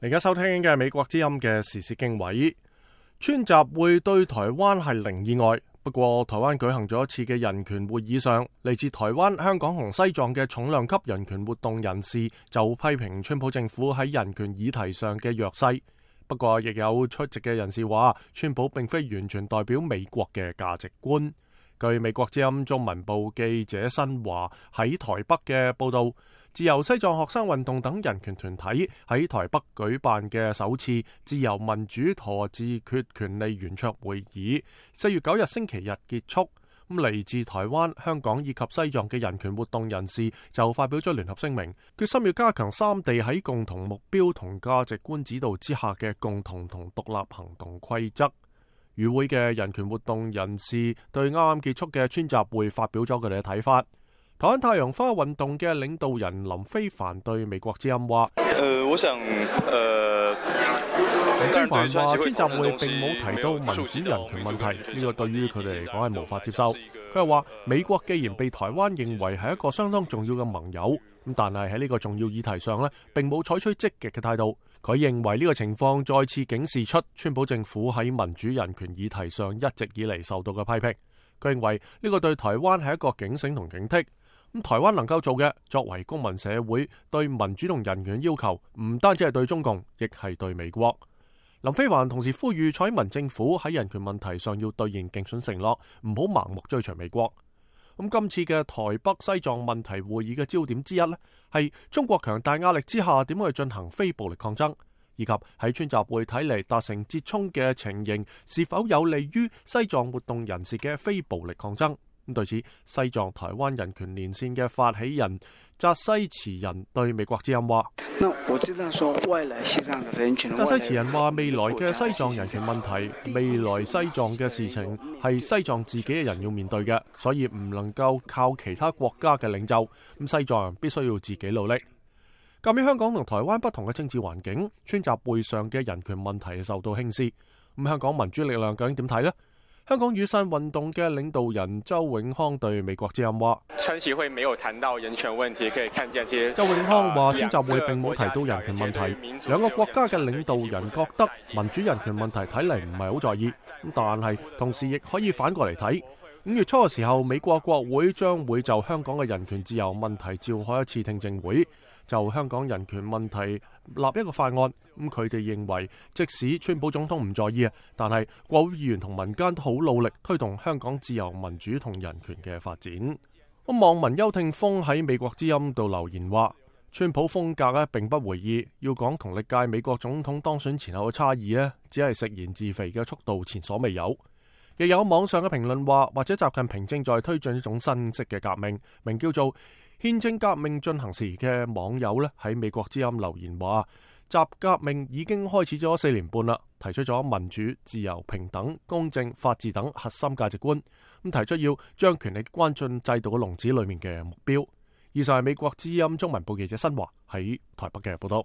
而家收聽嘅美國之音嘅時事經緯，川習會對台灣係零意外。不過台灣舉行咗一次嘅人權會議上，嚟自台灣、香港同西藏嘅重量級人權活動人士就批評川普政府喺人權議題上嘅弱勢。不過亦有出席嘅人士話，川普並非完全代表美國嘅價值觀。據美國之音中文部記者新華喺台北嘅報道，自由西藏學生運動等人權團體喺台北舉辦嘅首次自由民主和自決權利圓桌會議，4月9日星期日結束。嚟自台灣、香港以及西藏嘅人權活動人士就發表咗聯合聲明，決心要加強三地喺共同目標同價值觀指導之下嘅共同同獨立行動規則。與會嘅人權活動人士對啱啱結束嘅川習會發表咗佢哋嘅睇法。台灣太陽花運動嘅領導人林飛帆對美國之音話：我想林飛帆話川習會並冇提到民主人權問題，呢個對於佢哋嚟講係無法接受。佢又話美國既然被台灣認為係一個相當重要嘅盟友，但係喺呢個重要議題上並冇採取積極嘅態度。佢認為呢個情況再次警示出川普政府喺民主人權議題上一直以嚟受到嘅批評。佢認為呢個對台灣係一個警醒同警惕。台灣能夠做嘅，作為公民社會對民主同人權要求，唔單止係對中共，亦係對美國。林飛帆同時呼籲蔡英文政府喺人權問題上要兌現競選承諾，唔好盲目追隨美國。今次嘅台北西藏問題會議嘅焦點之一係中國強大壓力之下點樣去進行非暴力抗爭，以及喺川習會睇嚟達成折衷嘅情形是否有利於西藏活動人士嘅非暴力抗爭。對此，西藏台灣人權連線嘅發起人扎西慈仁對美國之音話：扎西慈仁話，未來嘅西藏人權問題，未來西藏嘅事情係西藏自己嘅人要面對嘅，所以唔能夠靠其他國家嘅領袖。西藏人必須要自己努力。鑒於香港同台灣不同嘅政治環境，川習會上嘅人權問題受到輕視。香港民主力量究竟點睇呢？香港雨傘運動嘅領導人周永康對美國之音話：川習會沒有談到人權問題，可以看見周永康話川習會並冇提到人權問題，兩個國家嘅領導人覺得民主人權問題睇嚟唔係好在意，但係同時亦可以反過嚟睇。5月初嘅時候，美國國會將會就香港嘅人權自由問題召開一次聽證會，就香港人權問題立一個法案。佢哋認為，即使川普總統唔在意但係國會議員同民間都好努力推動香港自由民主同人權嘅發展。網民邱聽鋒喺美國之音度留言話：川普風格並不回意，要講同歷屆美國總統當選前後嘅差異只係食言自肥嘅速度前所未有。亦有網上嘅評論話，或者習近平正在推進一種新式嘅革命，名叫做憲政革命進行時嘅網友喺美國之音留言話，習革命已經開始咗4年半啦，提出咗民主、自由、平等、公正、法治等核心價值觀，提出要將權力關進制度嘅籠子裏面嘅目標。以上係美國之音中文部記者新華喺台北嘅報道。